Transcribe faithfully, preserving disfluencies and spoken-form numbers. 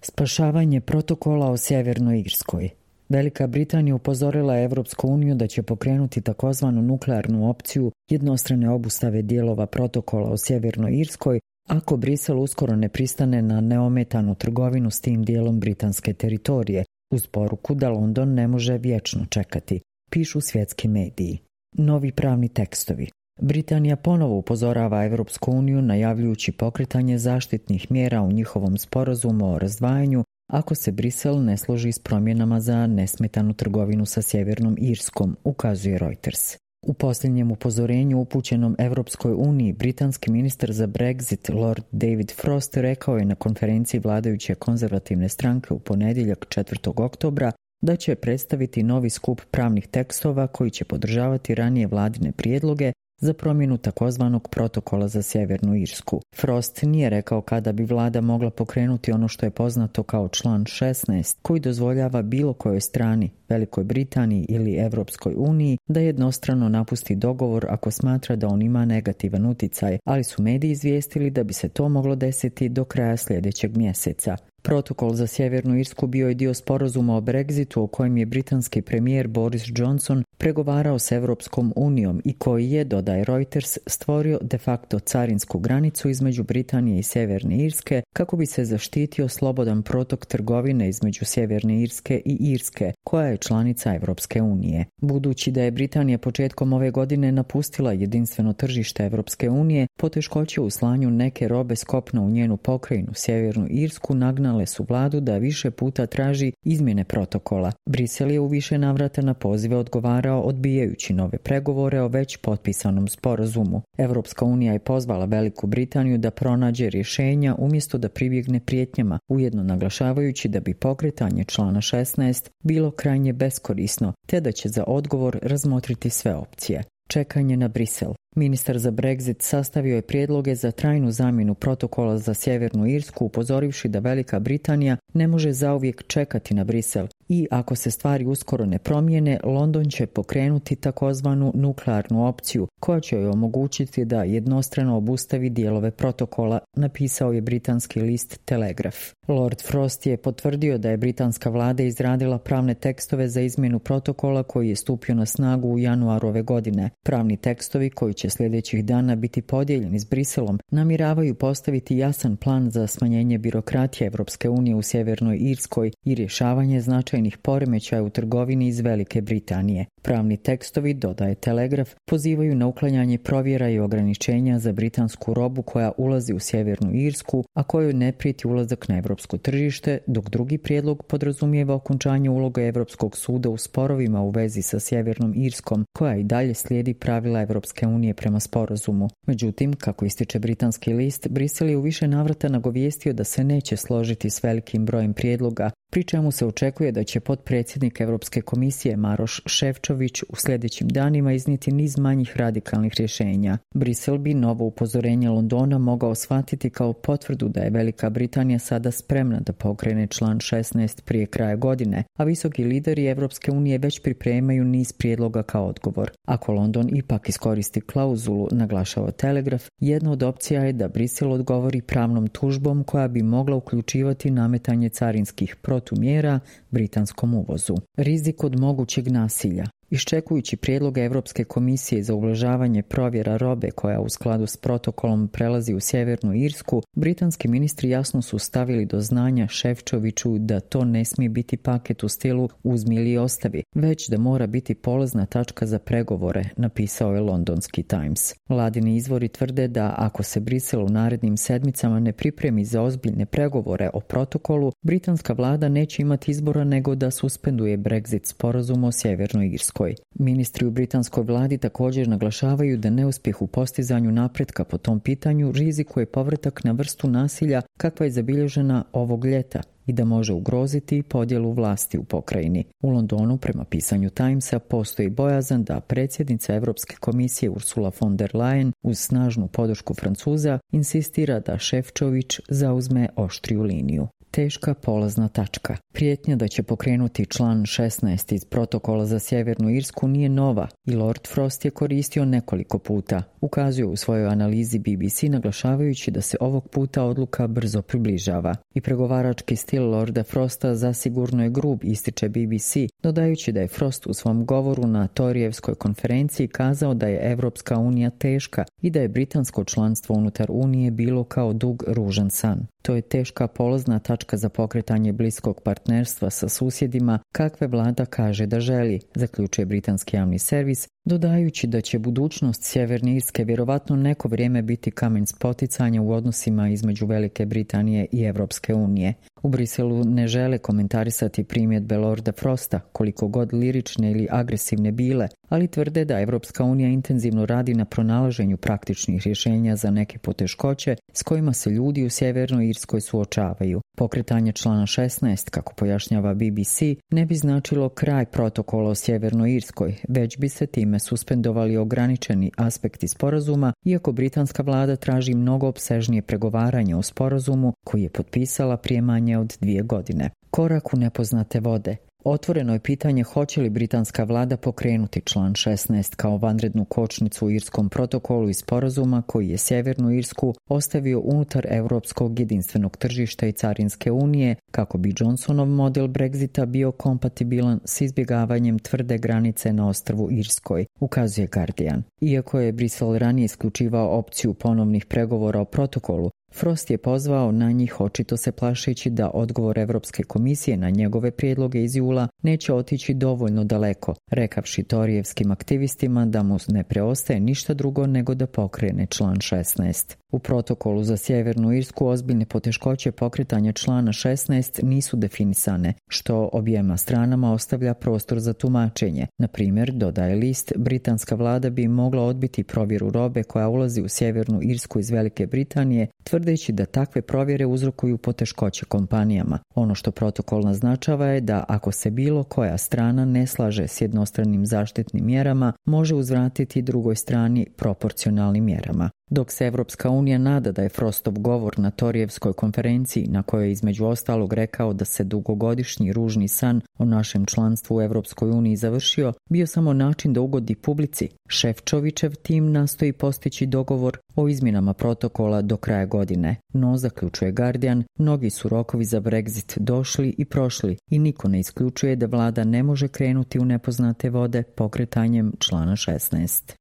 Spašavanje protokola o Sjevernoj Irskoj. Velika Britanija upozorila je Evropsku uniju da će pokrenuti takozvanu nuklearnu opciju jednostrane obustave dijelova protokola o Sjevernoj Irskoj ako Brisel uskoro ne pristane na neometanu trgovinu s tim dijelom britanske teritorije, uz poruku da London ne može vječno čekati, pišu svjetski mediji. Novi pravni tekstovi. Britanija ponovo upozorava Evropsku uniju najavljujući pokretanje zaštitnih mjera u njihovom sporazumu o razdvajanju ako se Brisel ne složi s promjenama za nesmetanu trgovinu sa Sjevernom Irskom, ukazuje Reuters. U posljednjem upozorenju upućenom Evropskoj uniji, britanski ministar za Brexit Lord David Frost rekao je na konferenciji vladajuće konzervativne stranke u ponedjeljak četvrtog oktobra da će predstaviti novi skup pravnih tekstova koji će podržavati ranije vladine prijedloge za promjenu takozvanog protokola za Sjevernu Irsku. Frost nije rekao kada bi vlada mogla pokrenuti ono što je poznato kao član šesnaest, koji dozvoljava bilo kojoj strani, Velikoj Britaniji ili Evropskoj uniji, da jednostrano napusti dogovor ako smatra da on ima negativan uticaj, ali su mediji izvijestili da bi se to moglo desiti do kraja sljedećeg mjeseca. Protokol za Sjevernu Irsku bio je dio sporazuma o Brexitu o kojem je britanski premijer Boris Johnson pregovarao s Evropskom unijom i koji je, dodaje Reuters, stvorio de facto carinsku granicu između Britanije i Sjeverne Irske kako bi se zaštitio slobodan protok trgovine između Sjeverne Irske i Irske, koja je članica Evropske unije. Budući da je Britanija početkom ove godine napustila jedinstveno tržište Evropske unije, poteškoće u slanju neke robe s kopna u njenu pokrajinu Sjevernu Irsku nagnale su vladu da više puta traži izmjene protokola. Brisel je u više navrata na pozive odgovarao odbijajući nove pregovore o već potpisanom sporazumu. Evropska unija je pozvala Veliku Britaniju da pronađe rješenja umjesto da pribjegne prijetnjama, ujedno naglašavajući da bi pokretanje člana šesnaest bilo krajnje beskorisno, te da će za odgovor razmotriti sve opcije. Čekanje na Brisel. Ministar za Brexit sastavio je prijedloge za trajnu zamjenu protokola za Sjevernu Irsku, upozorivši da Velika Britanija ne može zauvijek čekati na Brisel i ako se stvari uskoro ne promijene, London će pokrenuti takozvanu nuklearnu opciju koja će joj omogućiti da jednostrano obustavi dijelove protokola, napisao je britanski list Telegraph. Lord Frost je potvrdio da je britanska vlada izradila pravne tekstove za izmjenu protokola koji je stupio na snagu u januaru ove godine. Pravni tekstovi koji će sljedećih dana biti podijeljeni s Briselom namjeravaju postaviti jasan plan za smanjenje birokratije Evropske unije u Sjevernoj Irskoj i rješavanje značajnih poremećaja u trgovini iz Velike Britanije. Pravni tekstovi, dodaje Telegraf, pozivaju na uklanjanje provjera i ograničenja za britansku robu koja ulazi u Sjevernu Irsku, a kojoj ne prijeti ulazak na evropsko tržište, dok drugi prijedlog podrazumijeva okončanje uloge Evropskog suda u sporovima u vezi sa Sjevernom Irskom, koja i dalje slijedi pravila Evropske unije prema sporazumu. Međutim, kako ističe britanski list, Brisel je u više navrata nagovijestio da se neće složiti s velikim brojem prijedloga, pri čemu se očekuje da će potpredsjednik Europske komisije Maroš Šefčović u sljedećim danima iznijeti niz manjih radikalnih rješenja. Brisel bi novo upozorenje Londona mogao shvatiti kao potvrdu da je Velika Britanija sada spremna da pokrene član šesnaest prije kraja godine, a visoki lideri Europske unije već pripremaju niz prijedloga kao odgovor. Ako London ipak iskoristi klauzulu, naglašava Telegraf, jedna od opcija je da Brisel odgovori pravnom tužbom koja bi mogla uključivati nametanje carinskih protumjera britanskom uvozu. Rizik od mogućeg nasilja. Iščekujući prijedloge Europske komisije za ublažavanje provjera robe koja u skladu s protokolom prelazi u Sjevernu Irsku, britanski ministri jasno su stavili do znanja Šefčoviću da to ne smije biti paket u stilu uzmi ili ostavi, već da mora biti polazna tačka za pregovore, napisao je londonski Times. Vladini izvori tvrde da ako se Brisel u narednim sedmicama ne pripremi za ozbiljne pregovore o protokolu, britanska vlada neće imati izbora nego da suspenduje Brexit sporazum o Sjevernoj Irskoj. Ministri u britanskoj vladi također naglašavaju da neuspjeh u postizanju napretka po tom pitanju rizikuje povratak na vrstu nasilja kakva je zabilježena ovog ljeta i da može ugroziti podjelu vlasti u pokrajini. U Londonu, prema pisanju Timesa, postoji bojazan da predsjednica Europske komisije Ursula von der Leyen uz snažnu podršku Francuza insistira da Šefčović zauzme oštriju liniju. Teška polazna tačka. Prijetnja da će pokrenuti član šesnaest iz protokola za Sjevernu Irsku nije nova i Lord Frost je koristio nekoliko puta. Ukazuje u svojoj analizi B B C naglašavajući da se ovog puta odluka brzo približava. I pregovarački stil Lorda Frosta zasigurno je grub, ističe B B C, dodajući da je Frost u svom govoru na Torijevskoj konferenciji kazao da je Evropska unija teška i da je britansko članstvo unutar Unije bilo kao dug ružan san. To je teška polazna tačka za pokretanje bliskog partnerstva sa susjedima kakve vlada kaže da želi, zaključuje britanski javni servis, dodajući da će budućnost Sjeverne Irske vjerovatno neko vrijeme biti kamen spoticanja u odnosima između Velike Britanije i Evropske unije. U Briselu ne žele komentarisati primjedbe Lorda Frosta, koliko god lirične ili agresivne bile, ali tvrde da Evropska unija intenzivno radi na pronalaženju praktičnih rješenja za neke poteškoće s kojima se ljudi u Sjevernoj Irskoj suočavaju. Pokretanje člana šesnaest, kako pojašnjava B B C, ne bi značilo kraj protokola o Sjevernoj Irskoj, već bi se time suspendovali ograničeni aspekti sporazuma, iako britanska vlada traži mnogo opsežnije pregovaranje o sporazumu koji je potpisala prije manje od dvije godine. Korak u nepoznate vode. Otvoreno je pitanje hoće li britanska vlada pokrenuti član šesnaest kao vanrednu kočnicu u irskom protokolu i sporazuma koji je Sjevernu Irsku ostavio unutar europskog jedinstvenog tržišta i carinske unije kako bi Johnsonov model Brexita bio kompatibilan s izbjegavanjem tvrde granice na ostrvu Irskoj, ukazuje Guardian. Iako je Brisel ranije isključivao opciju ponovnih pregovora o protokolu, Frost je pozvao na njih očito se plašeći da odgovor Europske komisije na njegove prijedloge iz jula neće otići dovoljno daleko, rekavši torijevskim aktivistima da mu ne preostaje ništa drugo nego da pokrene član šesnaest. U protokolu za Sjevernu Irsku ozbiljne poteškoće pokretanja člana šesnaest nisu definisane, što objema stranama ostavlja prostor za tumačenje. Na primjer, dodaje list, britanska vlada bi mogla odbiti provjeru robe koja ulazi u Sjevernu Irsku iz Velike Britanije, tvrdeći da takve provjere uzrokuju poteškoće kompanijama. Ono što protokol naznačava je da ako se bilo koja strana ne slaže s jednostranim zaštitnim mjerama, može uzvratiti drugoj strani proporcionalnim mjerama. Dok se Evropska unija nada da je Frostov govor na Torijevskoj konferenciji, na kojoj je između ostalog rekao da se dugogodišnji ružni san o našem članstvu u Evropskoj uniji završio, bio samo način da ugodi publici, Šefčovićev tim nastoji postići dogovor o izmjenama protokola do kraja godine. No, zaključuje Guardian, mnogi su rokovi za Brexit došli i prošli i niko ne isključuje da vlada ne može krenuti u nepoznate vode pokretanjem člana šesnaest.